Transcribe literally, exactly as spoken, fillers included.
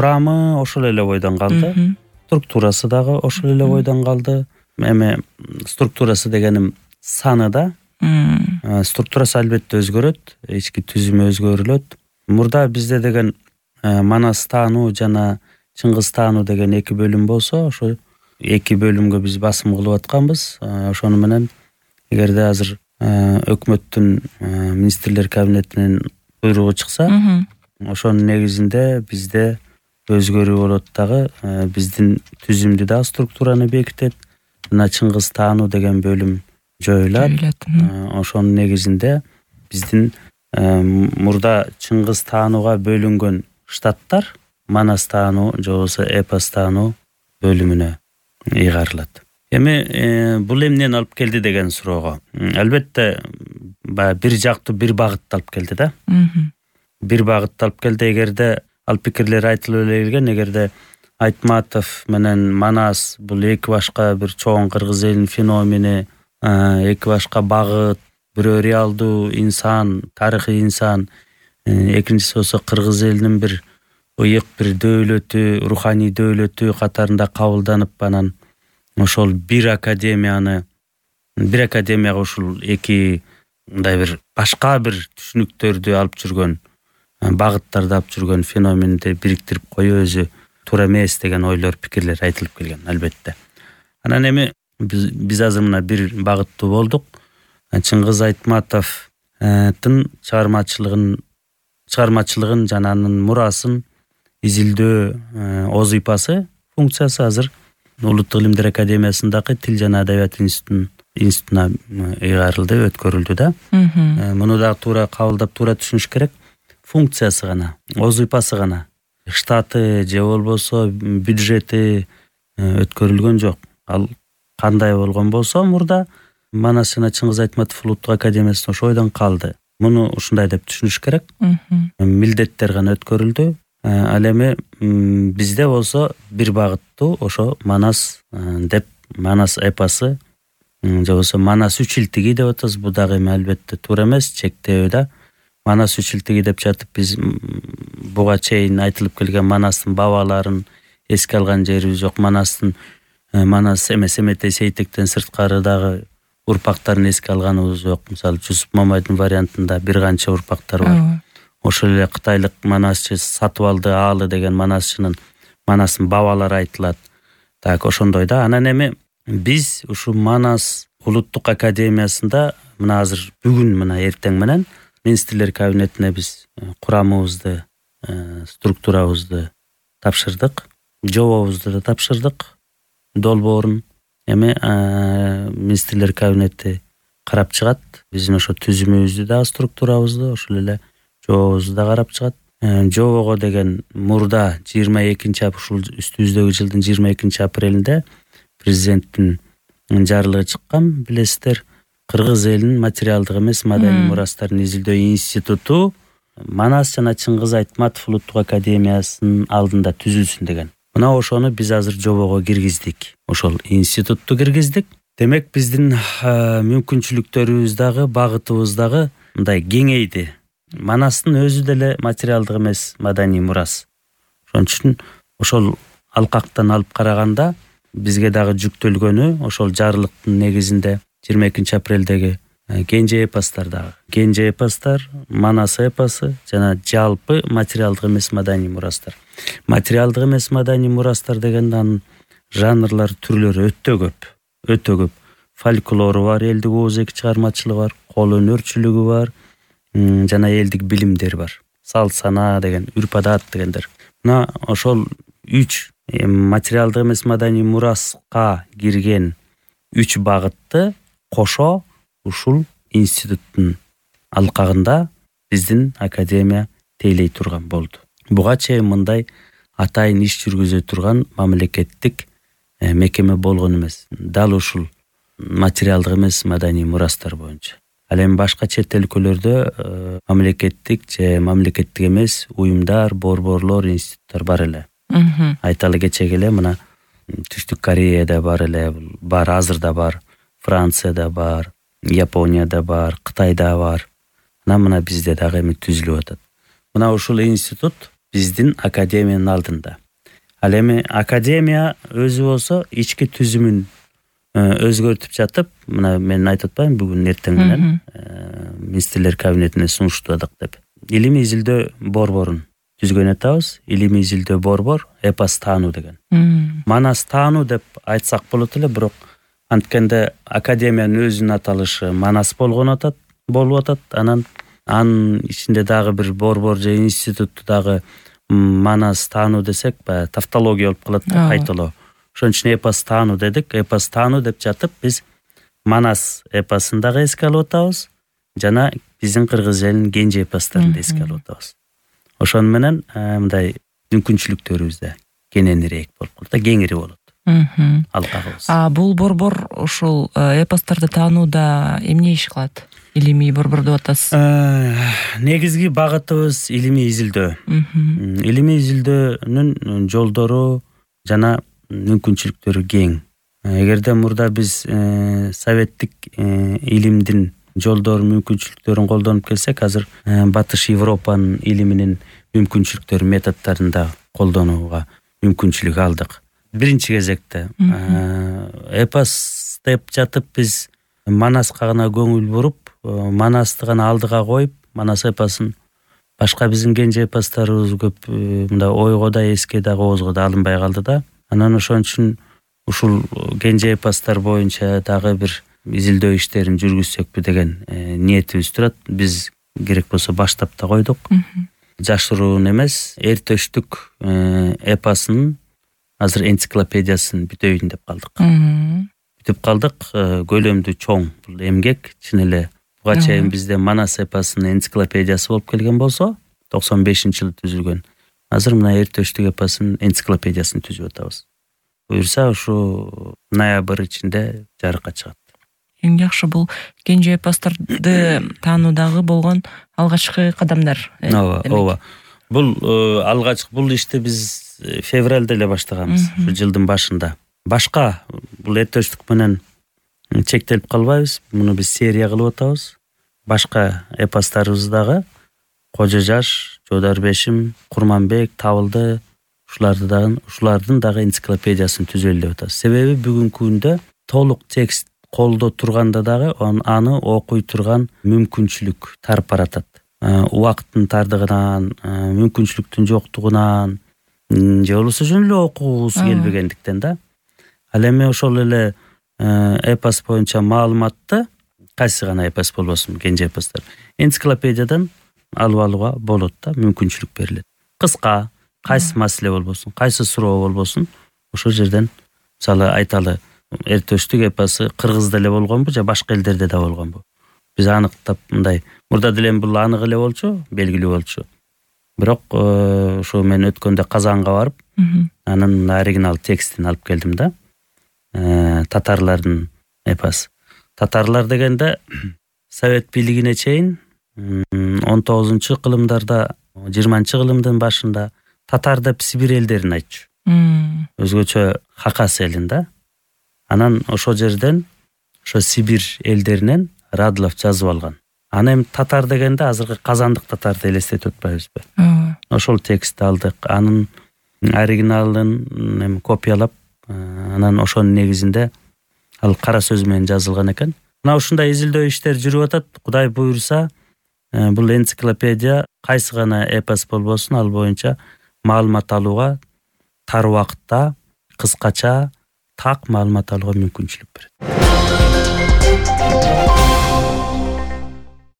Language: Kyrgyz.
курамы ошол эле бойдон калды, структурасы дагы ошол эле бойдон калды. Эми структурасы дегеним саны да. Структурасы албетте өзгөрөт, ички түзүмү өзгөрүлөт. Мурда бизде деген Манас таануу жана Чыңгыз таануу деген эки бөлүм болсо, ошо эки бөлүмгө биз басым кылып атканбыз. Ошону менен эгерде азыр өкмөттүн министрлер кабинетинин буйругу чыкса, ошонун негизинде бизде өзгөрүү болот дагы, биздин түзүмдү да структураны бекитет. Мына Чыңгыз таануу деген бөлүм жоюлат. Ошонун негизинде биздин мурда Чыңгыз таанууга бөлүнгөн штаттар Манас таануу же болбосо Эпос таануу бөлүмүнө ыйгарылат. Эми бул эмнени алып келди деген суроого, албетте баягы бир жактуу бир багытты алып келди да. Бир багытты алып келди. Эгерде ал пикирлер айтылып эле келген, эгерде Айтматов менен Манас бул эки башка бир чоң кыргыз элинин феномени, эки башка багыт, бирөө реалдуу инсан, тарыхый инсан, экинчиси болсо кыргыз элинин бир ыйык бир дөөлөтү, руханий дөөлөтү катарында кабылданып, анан ошол бир академияны, бир академияга ушул эки мындай бир башка бир түшүнүктөрдү алып жүргөн, багыттарды алып жүргөн феноменди бириктирип коюу өзү туура эмес деген ойлор, пикирлер айтылып келген албетте. Анан эми биз, биз азыр мына бир багыттуу болдук. Чыңгыз Айтматовдун чыгармачылыгын чыгармачылыгын жана анын мурасын изилдөө озыйпасы функциясы азыр Улуттук илимдер академиясындагы Тил жана Адабият институтуна ыйгарылды, өткөрүлдү да. Муну дагы туура кабылдап, туура түшүнүш керек. Функциясы гана, озыйпасы гана, штаты же болбосо бюджети өткөрүлгөн жок. Ал кандай болгон болсо мурда Манас жана Чыңгыз Айтматов Улуттук академиясында ошо бойдон калды. Муну ушундай деп түшүнүш керек. Милдеттер гана өткөрүлдү. Ал эми бизде болсо бир багыттуу ошо Манас деп, Манас эпосы же болбосо Манас үч илтиги деп атабыз. Бул дагы эми албетте туура эмес, чектөө да. Манас үч илтиги деп жатып биз буга чейин айтылып келген Манастын бабаларын эске алган жерибиз жок. Манастын Манас эмес Эметей Сейтектен сырткары дагы урпактарын эске алганыбыз жок. Мисалы Жусуп Мамайдын вариантында бир канча урпактар бар. Ошол эле кытайлык Манасчы Сатыбалды Аалы деген Манасчынын Манастын бабалары айтылат. Так ошондой да. Анан эми биз ушу Манас Улуттук академиясында мына азыр бүгүн мына эртең менен министрлер кабинетине биз курамыбызды, структурабызды тапшырдык, жобобузду да тапшырдык, долбоорун. Эми министрлер кабинети карап чыгат. Биздин ошо түзүмүбүздү да, структурабызды, ошол эле жобобузду да карап чыгат. Жобого деген мурда жыйырма экинчи ушул үстүбүздөгү жылдын жыйырма экинчи апрелинде президенттин жарлыгы чыккан, билесиздер. Кыргыз элинин материалдык эмес маданий мурастарын изилдөө институту Манас жана Чыңгыз Айтматов Улуттук академиясынын алдында түзүлсүн деген. Мына ошону биз азыр жобого киргиздик. Ошол институтту киргиздик. Демек биздин мүмкүнчүлүктөрүбүз дагы, багытыбыз дагы мындай кеңейди. Манастын өзү деле материалдык эмес маданий мурас. Ошон үчүн ошол алкактан алып караганда бизге дагы жүктөлгөнү ошол жарлыктын негизинде жыйырма экинчи апрелдеги кенже эпостор дагы. Кенже эпостор, Манас эпосу жана жалпы материалдык эмес маданий мурастар. Материалдык эмес маданий мурастар дегенде анын жанрлар, түрлөрү өтө көп. Өтө көп. Фольклору бар, элдик ооз-эки чыгармачылыгы бар, кол өнөрчүлүгү бар, жана элдик билимдер бар. Салт санаа деген, үрп-адат дегендер. Мына ошол үч материалдык эмес маданий мураска кирген үч багытты кошо ушул институттун алкагында биздин академия тейлей турган болду. Буга чейин мындай атайын иш жүргүзө турган мамлекеттик мекеме болгон эмес. Дал ушул материалдык эмес маданий мурастар боюнча. Ал эми башка чет өлкөлөрдө мамлекеттик же мамлекеттик эмес уюмдар, борборлор, институттар бар эле. Айталы кечеги эле мына Түштүк Кореяда бар эле, бар, азыр да бар, Францияда бар, Японияда бар, Кытайда бар. Мына мына бизде дагы эми түзүлүп атат. Мына ушул институт биздин академиянын алдында. Ал эми академия өзү болсо ички түзүмүн өзгөртүп жатып, мына мен айтып атпаймынбы бүгүн эртең менен министрлер кабинетине сунуштадык деп. Илимий изилдөө борборун түзгөн атабыз. Илимий изилдөө борбор эпос таануу деген. Манас таануу деп айтсак болот эле, бирок анткенде академиянын өзүнүн аталышы Манас болгон атат, болуп атат. Анан анын ичинде дагы бир борбор же институтту дагы Манас таануу десек, баягы тавтология болуп калат да, кайталоо. Ошон үчүн эпос таануу дедик. Эпос таануу деп жатып биз Манас эпосун дагы эске алып атабыз, жана биздин кыргыз элинин кенже эпосторун да эске алып атабыз. Ошону менен мындай мүмкүнчүлүктөрүбүз да кененирээк болуп калат да, кеңири болот. Алкагыбыз. А бул борбор ушул эпосторду таанууда эмне иш кылат? Илимий борбор деп атасыз. Негизги багытыбыз илимий изилдөө. Илимий изилдөөнүн жолдору жана мүмкүнчүлүктөрү кең. Эгерде мурда биз советтик илимдин жолдору мүмкүнчүлүктөрүн колдонуп келсек, азыр Батыш Европанын илиминин мүмкүнчүлүктөрү, методдорун да колдонууга мүмкүнчүлүк алдык. Биринчи кезекте эпос деп жатып биз Манаска гана көңүл буруп, Манасты гана алдыга коюп, Манас эпосун башка биздин кенже эпосторубуз көп мындай ойго да, эске да, коозго да алынбай калды да. Анан ошон үчүн ушул кенже эпостор боюнча дагы бир изилдөө иштерин жүргүзсөкпү деген ниетибиз турат. Биз керек болсо баштап да койдук. Жашыруун эмес, эр төштүк эпосунун азыр энциклопедиясын бүтөйүн деп калдык. Бүтүп калдык. Көлөмдүү чоң бул эмгек. Чын эле буга чейин бизде Манас эпосунун энциклопедиясы болуп келген болсо, токсон бешинчи жылы түзүлгөн. Азыр мына эр төштүк эпосунун энциклопедиясын түзүп атабыз. Буюрса ушу ноябрь ичинде жарыкка чыгат. Эң жакшы бул кенже эпосторду таануудагы болгон алгачкы кадамдар. Ооба, ооба. Бул алгачкы бул ишти биз февралда эле баштаганбыз, ушу жылдын башында. Башка бул эр төштүк менен чектелип калбайбыз. Муну биз серия кылып атабыз. Башка эпостарыбыз дагы Кожо жаш, Жодар бешим, Курманбек, Табылды, ушуларды дагы ушулардын дагы энциклопедиясын түзөлү деп атабыз. Себеби бүгүнкү күндө толук текст колдо турганда дагы аны окуй турган мүмкүнчүлүк тарип баратат. Убакыттын тардыгынан, мүмкүнчүлүктүн жоктугунан, же болбосо жөн эле окугусу келбегендиктен да. Ал эми ошол эле эпос боюнча маалыматты кайсы гана эпос болбосун, кенже эпостор энциклопедиядан алып алууга болот да, мүмкүнчүлүк берилет. Кыска, кайсы маселе болбосун, кайсы суроо болбосун, ошол жерден мисалы айталы, эр төштүк эпосу кыргызда эле болгонбу же башка элдерде да болгонбу? Биз аныктап мындай, мурда деле бул анык эле болчу, белгилүү болчу. Бирок ошо мен өткөндө Казанга барып, анын оригинал текстин алып келдим да. Татарлардын эпос. Татарлар дегенде Совет бийлигине чейин он тогузунчу кылымдарда, жыйырманчы кылымдын башында татар деп Сибирь элдерин айтчу. Өзгөчө Хакас элин да. Анан ошол жерден, ошо Сибирь элдеринен Радлов жазып алган. Аны эми татар дегенде азыркы казандык татарды элестетип атпайбызбы? Ошол текстти алдык. Анын оригиналын эми копиялап, анан ошонун негизинде ал кара сөз менен жазылган экен. Мына ушундай изилдөө иштер жүрүп атат. Кудай буйрса, бул энциклопедия кайсы гана эпос болбосун, ал боюнча маалымат алууга тар убакытта, кыскача, так маалымат алууга мүмкүнчүлүк берет.